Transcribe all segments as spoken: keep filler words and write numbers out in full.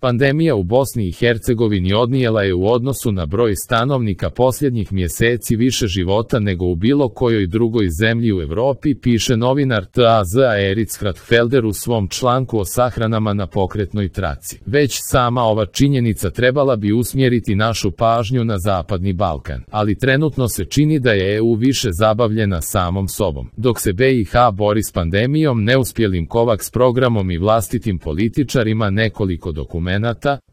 Pandemija u Bosni i Hercegovini odnijela je u odnosu na broj stanovnika posljednjih mjeseci više života nego u bilo kojoj drugoj zemlji u Europi, piše novinar T A Z Eric Kratfelder u svom članku o sahranama na pokretnoj traci. Već sama ova činjenica trebala bi usmjeriti našu pažnju na Zapadni Balkan, ali trenutno se čini da je E U više zabavljena samom sobom. Dok se B i H bori s pandemijom, neuspjelim COVAX programom i vlastitim političarima, nekoliko dokumenata,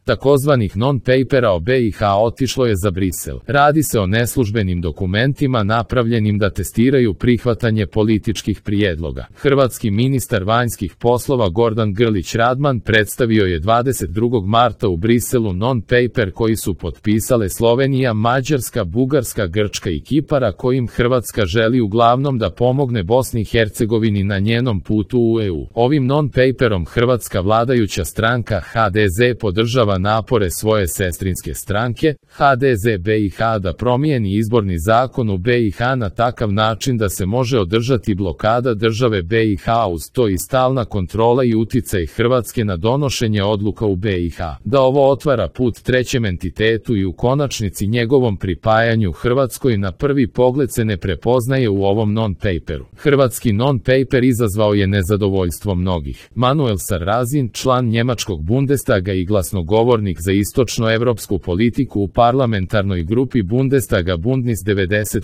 takozvanih non-papera o B i H otišlo je za Brisel. Radi se o neslužbenim dokumentima napravljenim da testiraju prihvatanje političkih prijedloga. Hrvatski ministar vanjskih poslova Gordan Grlić Radman predstavio je dvadeset drugog marta u Briselu non-paper koji su potpisale Slovenija, Mađarska, Bugarska, Grčka i Kipar, kojim Hrvatska želi uglavnom da pomogne Bosni i Hercegovini na njenom putu u E U. Ovim non-paperom hrvatska vladajuća stranka H D Z podržava napore svoje sestrinske stranke, H D Z B i H, da promijeni izborni zakon u B i H na takav način da se može održati blokada države B i H, uz to i stalna kontrola i uticaj Hrvatske na donošenje odluka u B i H. Da ovo otvara put trećem entitetu i u konačnici njegovom pripajanju Hrvatskoj na prvi pogled se ne prepoznaje u ovom non-paperu. Hrvatski non-paper izazvao je nezadovoljstvo mnogih. Manuel Sarrazin, član njemačkog Bundestaga i glasnogovornik za istočnoevropsku politiku u parlamentarnoj grupi Bundestaga Bündnis devedeset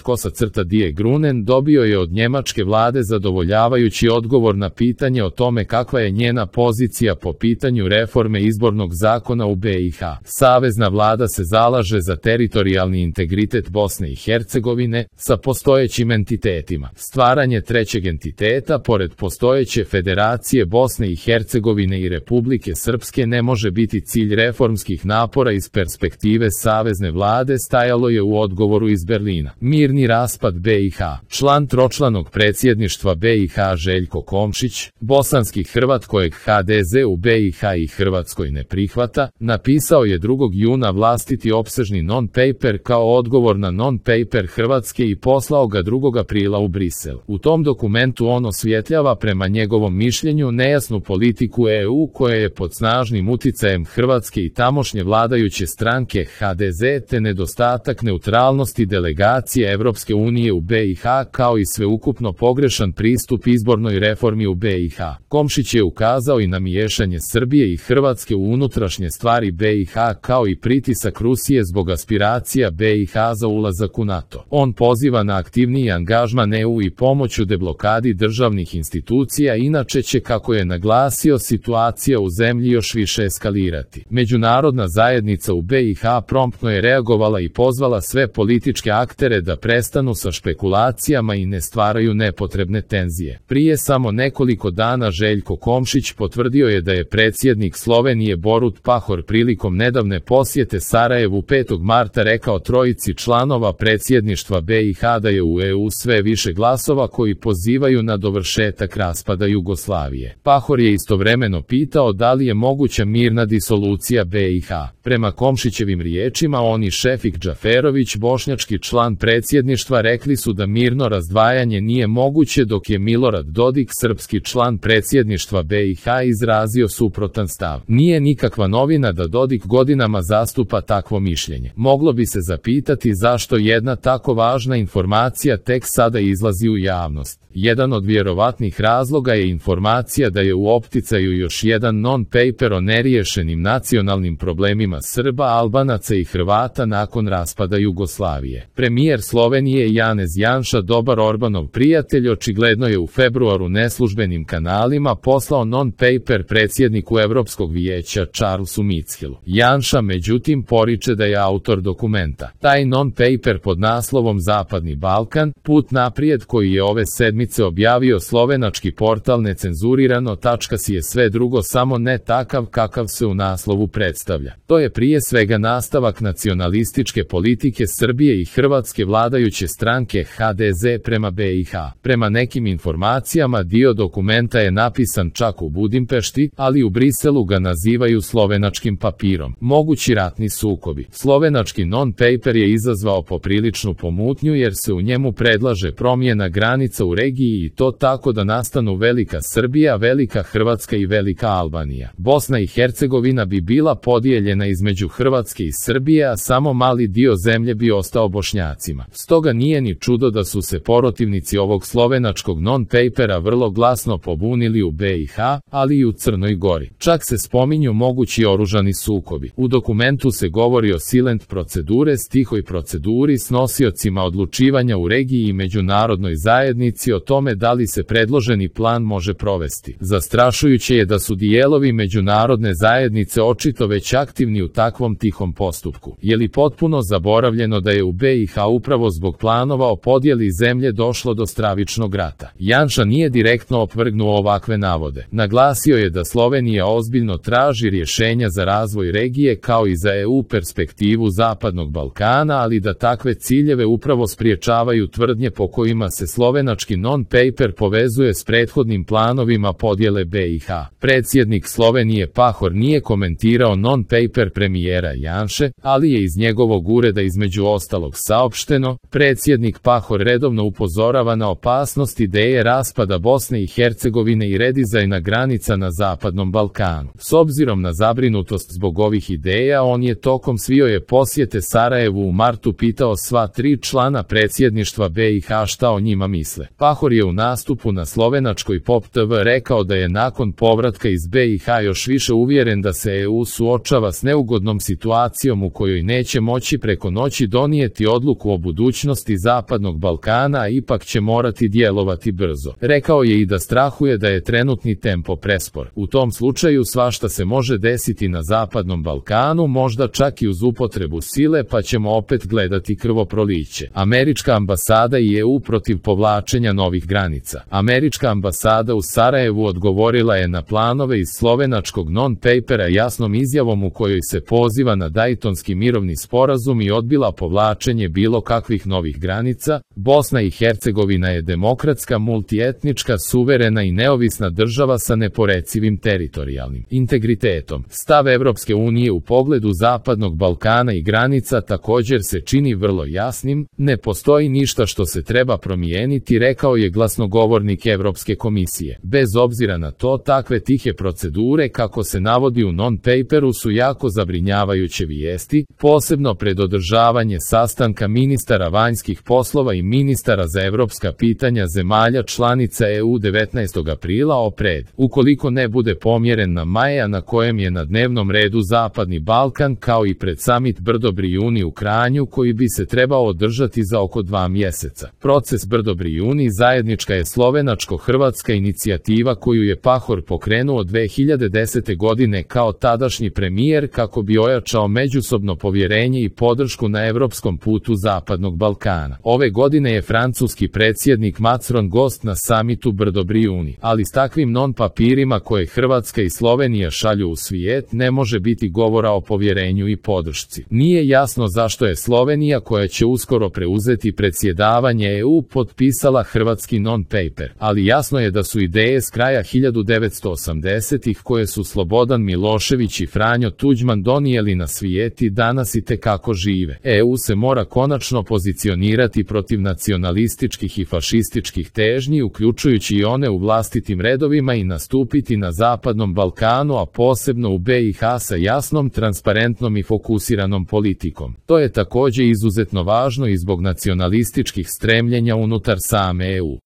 Die Grünen, dobio je od njemačke vlade zadovoljavajući odgovor na pitanje o tome kakva je njena pozicija po pitanju reforme izbornog zakona u B i H. Savezna vlada se zalaže za teritorijalni integritet Bosne i Hercegovine sa postojećim entitetima. Stvaranje trećeg entiteta pored postojeće Federacije Bosne i Hercegovine i Republike Srpske ne može biti cilj reformskih napora iz perspektive savezne vlade, stajalo je u odgovoru iz Berlina. Mirni raspad B i H. Član tročlanog predsjedništva B i H Željko Komšić, bosanski Hrvat kojeg H D Z u B i H i Hrvatskoj ne prihvata, napisao je drugog juna vlastiti opsežni non-paper kao odgovor na non-paper Hrvatske i poslao ga drugog aprila u Brisel. U tom dokumentu on osvjetljava prema njegovom mišljenju nejasnu politiku E U koja je pod snažnim uticajem Hrvatske i tamošnje vladajuće stranke H D Z te nedostatak neutralnosti delegacije Evropske unije u B i H kao i sveukupno pogrešan pristup izbornoj reformi u B i H. Komšić je ukazao i na miješanje Srbije i Hrvatske u unutrašnje stvari B i H kao i pritisak Rusije zbog aspiracija B i H za ulazak u NATO. On poziva na aktivniji angažman E U i pomoć u deblokadi državnih institucija, inače će, kako je naglasio, situacija u zemlji još više eskalirati. Međunarodna zajednica u B i H promptno je reagovala i pozvala sve političke aktere da prestanu sa špekulacijama i ne stvaraju nepotrebne tenzije. Prije samo nekoliko dana Željko Komšić potvrdio je da je predsjednik Slovenije Borut Pahor prilikom nedavne posjete Sarajevu petog marta rekao trojici članova predsjedništva B i H da je u E U sve više glasova koji pozivaju na dovršetak raspada Jugoslavije. Pahor je istovremeno pitao da li je moguća mirna disolucija B i H. Prema Komšićevim riječima, on i Šefik Džaferović, bošnjački član predsjedništva, rekli su da mirno razdvajanje nije moguće, dok je Milorad Dodik, srpski član predsjedništva B i H, izrazio suprotan stav. Nije nikakva novina da Dodik godinama zastupa takvo mišljenje. Moglo bi se zapitati zašto jedna tako važna informacija tek sada izlazi u javnost. Jedan od vjerovatnih razloga je informacija da je u opticaju još jedan non-paper o neriješenim nacionalnim problemima Srba, Albanaca i Hrvata nakon raspada Jugoslavije. Premijer Slovenije Janez Janša, dobar Orbanov prijatelj, očigledno je u februaru neslužbenim kanalima poslao non-paper predsjedniku Evropskog vijeća Charlesu Michelu. Janša međutim poriče da je autor dokumenta. Taj non-paper pod naslovom Zapadni Balkan, put naprijed, koji je ove sedmice objavio slovenački portal necenzurirano tačka si, je sve drugo samo ne takav kakav se u naslovu predstavlja. To je prije svega nastavak nacionalističke politike Srbije i Hrvatske vladajuće stranke H D Z prema B i H. Prema nekim informacijama dio dokumenta je napisan čak u Budimpešti, ali u Briselu ga nazivaju slovenačkim papirom. Mogući ratni sukobi. Slovenački non-paper je izazvao popriličnu pomutnju jer se u njemu predlaže promjena granica u regiji i to tako da nastanu Velika Srbija, Velika Hrvatska i Velika Albanija. Bosna i Hercegovina bi bila bila podijeljena između Hrvatske i Srbije, a samo mali dio zemlje bi ostao Bošnjacima. Stoga nije ni čudo da su se protivnici ovog slovenačkog non-papera vrlo glasno pobunili u B i H, ali i u Crnoj Gori. Čak se spominju mogući oružani sukobi. U dokumentu se govori o silent procedure, tihoj proceduri s nosiocima odlučivanja u regiji i međunarodnoj zajednici o tome da li se predloženi plan može provesti. Zastrašujuće je da su dijelovi međunarodne zajednice očito već aktivni u takvom tihom postupku. Je li potpuno zaboravljeno da je u B i H upravo zbog planova o podjeli zemlje došlo do stravičnog rata? Janša nije direktno opovrgnuo ovakve navode. Naglasio je da Slovenija ozbiljno traži rješenja za razvoj regije kao i za E U perspektivu Zapadnog Balkana, ali da takve ciljeve upravo spriječavaju tvrdnje po kojima se slovenački non-paper povezuje s prethodnim planovima podjele B i H. Predsjednik Slovenije Pahor nije komentirao non-paper premijera Janše, ali je iz njegovog ureda između ostalog saopšteno: predsjednik Pahor redovno upozorava na opasnost ideje raspada Bosne i Hercegovine i redizajna granica na Zapadnom Balkanu. S obzirom na zabrinutost zbog ovih ideja, on je tokom svoje posjete Sarajevu u martu pitao sva tri člana predsjedništva B i H šta o njima misle. Pahor je u nastupu na slovenačkoj Pop T V rekao da je nakon povratka iz B i H još više uvjeren da se E U suočava s neugodnom situacijom u kojoj neće moći preko noći donijeti odluku o budućnosti Zapadnog Balkana, a ipak će morati djelovati brzo. Rekao je i da strahuje da je trenutni tempo prespor. U tom slučaju svašta se može desiti na Zapadnom Balkanu, možda čak i uz upotrebu sile, pa ćemo opet gledati krvoproliće. Američka ambasada i E U protiv povlačenja novih granica. Američka ambasada u Sarajevu odgovorila je na planove iz slovenačkog non-papera jasnom izjavom u kojoj se poziva na Daytonski mirovni sporazum i odbila povlačenje bilo kakvih novih granica. Bosna i Hercegovina je demokratska, multietnička, suverena i neovisna država sa neporecivim teritorijalnim integritetom. Stav Evropske unije u pogledu Zapadnog Balkana i granica također se čini vrlo jasnim: ne postoji ništa što se treba promijeniti, rekao je glasnogovornik Evropske komisije. Bez obzira na to, takve tihe procedure, kako se navodi u non-paperu, su jako zabrinjavajuće vijesti, posebno pred održavanje sastanka ministara vanjskih poslova i ministara za evropska pitanja zemalja članica E U devetnaestog aprila opred. Ukoliko ne bude pomjeren na maja na kojem je na dnevnom redu Zapadni Balkan, kao i pred samit Brdo-Brijuni u Kranju koji bi se trebao održati za oko dva mjeseca. Proces Brdo-Brijuni zajednička je slovenačko-hrvatska inicijativa koju je Pahor pokrenuo dve hiljade desete godine kao tadašnji premijer kako bi ojačao međusobno povjerenje i podršku na evropskom putu Zapadnog Balkana. Ove godine je francuski predsjednik Macron gost na samitu Brdo-Brijuni, ali s takvim non-papirima koje Hrvatska i Slovenija šalju u svijet ne može biti govora o povjerenju i podršci. Nije jasno zašto je Slovenija, koja će uskoro preuzeti predsjedavanje E U, potpisala hrvatski non-paper, ali jasno je da su ideje s kraja hiljadu devetsto osamdesetih koje su Slobodan Milošević i Franjo Tuđman donijeli na svijet i danas itekako žive. E U se mora konačno pozicionirati protiv nacionalističkih i fašističkih težnji, uključujući i one u vlastitim redovima, i nastupiti na Zapadnom Balkanu, a posebno u B i H sa jasnom, transparentnom i fokusiranom politikom. To je također izuzetno važno i zbog nacionalističkih stremljenja unutar same E U.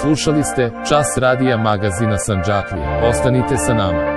Slušali ste Čas radija magazina Sandžaklija. Ostanite sa nama.